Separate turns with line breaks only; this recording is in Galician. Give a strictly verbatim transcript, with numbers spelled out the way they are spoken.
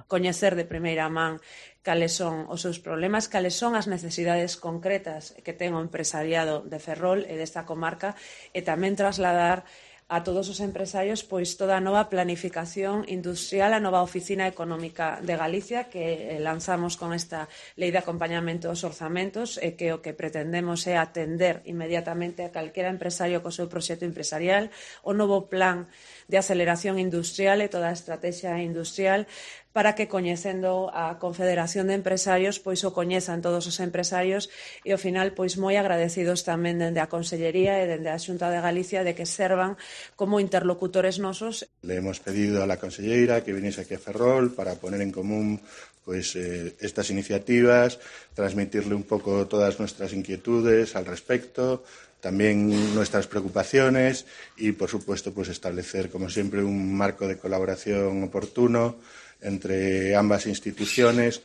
coñecer de primeira man cales son os seus problemas, cales son as necesidades concretas que ten o empresariado de Ferrol e desta comarca e tamén trasladar a todos os empresarios pois toda a nova planificación industrial, a nova oficina económica de Galicia que lanzamos con esta lei de acompañamento aos orzamentos e que o que pretendemos é atender inmediatamente a calquera empresario co seu proxecto empresarial, o novo plan de aceleración industrial e toda a estrategia industrial para que coñecendo a Confederación de Empresarios pois o coñezan todos os empresarios e ao final pois moi agradecidos tamén dende a Consellería e dende a Xunta de Galicia de que servan como interlocutores nosos.
Le hemos pedido a la conselleira que viniese aquí a Ferrol para poner en común pues eh, estas iniciativas, transmitirle un poco todas nuestras inquietudes al respecto, también nuestras preocupaciones y, por supuesto, pues establecer, como siempre, un marco de colaboración oportuno entre ambas instituciones.